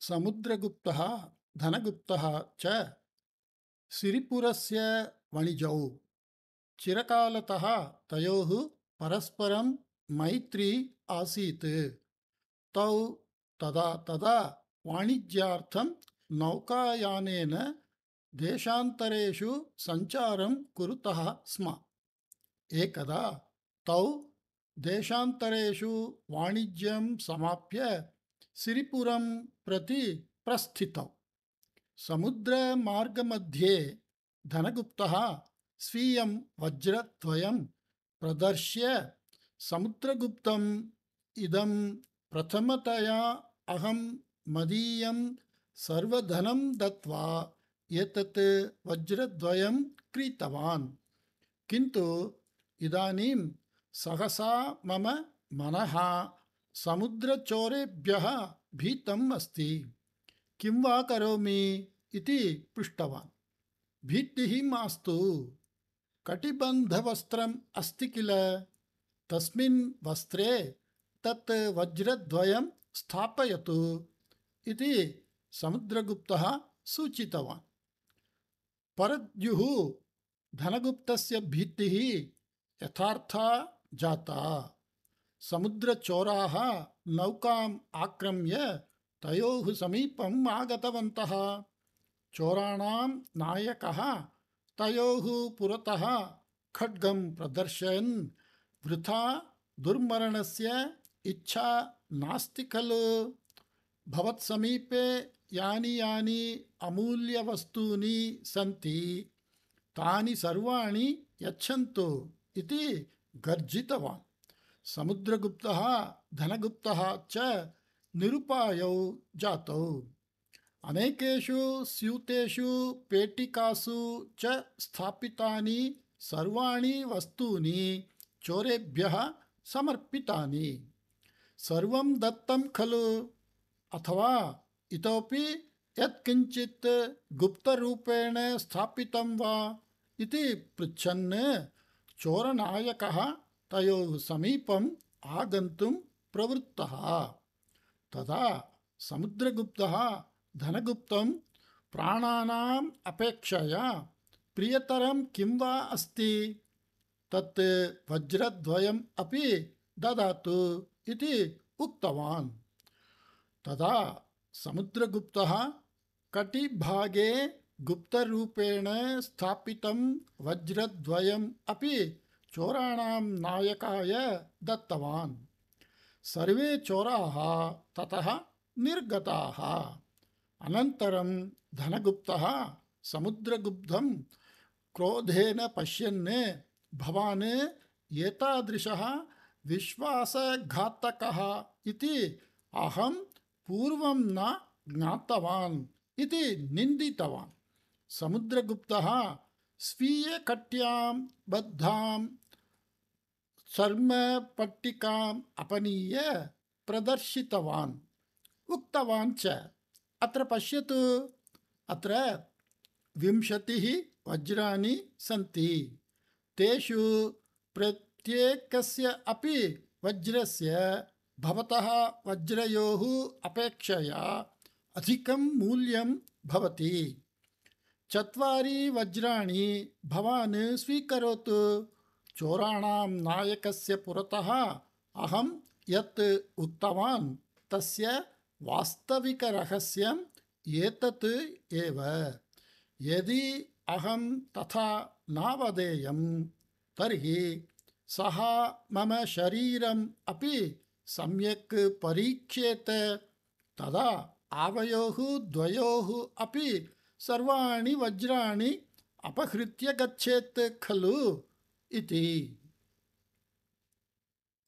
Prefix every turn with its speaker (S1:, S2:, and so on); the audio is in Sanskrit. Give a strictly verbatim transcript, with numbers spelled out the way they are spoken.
S1: समुद्रगुप्तः धनगुप्तः च सिरिपुरस्य वणिजौ। चिरकालतः तयोः परस्परं मैत्री आसीत्। तौ तदा तदा वाणिज्यार्थं नौकायानेन देशान्तरेषु सञ्चारं कुरुतः स्म। एकदा तौ देशान्तरेषु वाणिज्यं समाप्य सिरिपुरं प्रति प्रस्थितौ। समुद्रमार्गमध्ये धनगुप्तः स्वीयं वज्रद्वयं प्रदर्श्य समुद्रगुप्तम् इदं प्रथमतया अहं मदीयं सर्वधनं दत्वा एतत् वज्रद्वयं क्रीतवान्, किन्तु इदानीं सहसा मम मनः समुद्रचोरेभ्यः भीतम् अस्ति। किं वा करोमि इति पृष्टवान्। भीतिः मास्तु, कटिबन्धवस्त्रम् अस्ति किल, तस्मिन् वस्त्रे तत् वज्रद्वयं स्थापयतु इति समुद्रगुप्तः सूचितवान्। परद्युः धनगुप्तस्य भीतिः यथार्था जाता। समुद्रचोराः नौकाम् आक्रम्य तयोः समीपम् आगतवन्तः। चोराणां नायकः तयोः पुरतः खड्गं प्रदर्शयन्, वृथा दुर्मरणस्य इच्छा नास्ति खलु? भवत्समीपे यानि यानि अमूल्यवस्तूनि सन्ति तानि सर्वाणि यच्छन्तु इति गर्जितवान्। समुद्रगुप्तः धनगुप्तः च निरुपायौ जातौ। अनेकेषु स्यूतेषु पेटिकासु च स्थापितानि सर्वाणि वस्तूनि चोरेभ्यः समर्पितानि। सर्वं दत्तं खलु, अथवा इतोपि यत्किञ्चित् गुप्तरूपेण स्थापितं वा इति पृच्छन् चोरनायकः तयोः समीपम् आगन्तुं प्रवृत्तः। तदा समुद्रगुप्तः धनगुप्तं प्राणानाम् अपेक्षया प्रियतरं किं वा अस्ति, तत् वज्रद्वयम् अपि ददातु इति उक्तवान्। तदा समुद्रगुप्तः कटिभागे गुप्तरूपेण स्थापितं वज्रद्वयम् अपि चोराणां नायकाय दत्तवान्। सर्वे चोराः ततः निर्गताः। अनन्तरं धनगुप्तः समुद्रगुप्तं क्रोधेन पश्यन्, भवान् एतादृशः विश्वासघातकः इति अहं पूर्वं न ज्ञातवान् इति निन्दितवान्। समुद्रगुप्तः स्वीयकट्यां बद्धां चर्मपट्टिकाम् अपनीय प्रदर्शितवान्। उक्तवान् च, अत्र पश्यतु, अत्र विंशतिः वज्राणि सन्ति। तेषु प्रत्येकस्य अपि वज्रस्य भवतः वज्रयोः अपेक्षया अधिकं मूल्यं भवति। चत्वारि वज्राणि भवान् स्वीकरोतु। चोराणां नायकस्य पुरतः अहं यत् उक्तवान् तस्य वास्तविकरहस्यम् एतत् एव। यदि अहं तथा न वदेयं तर्हि सः मम शरीरम् अपि सम्यक् परीक्ष्येत। तदा आवयोः द्वयोः अपि सर्वाणि वज्राणि अपहृत्य गच्छेत् खलु इति।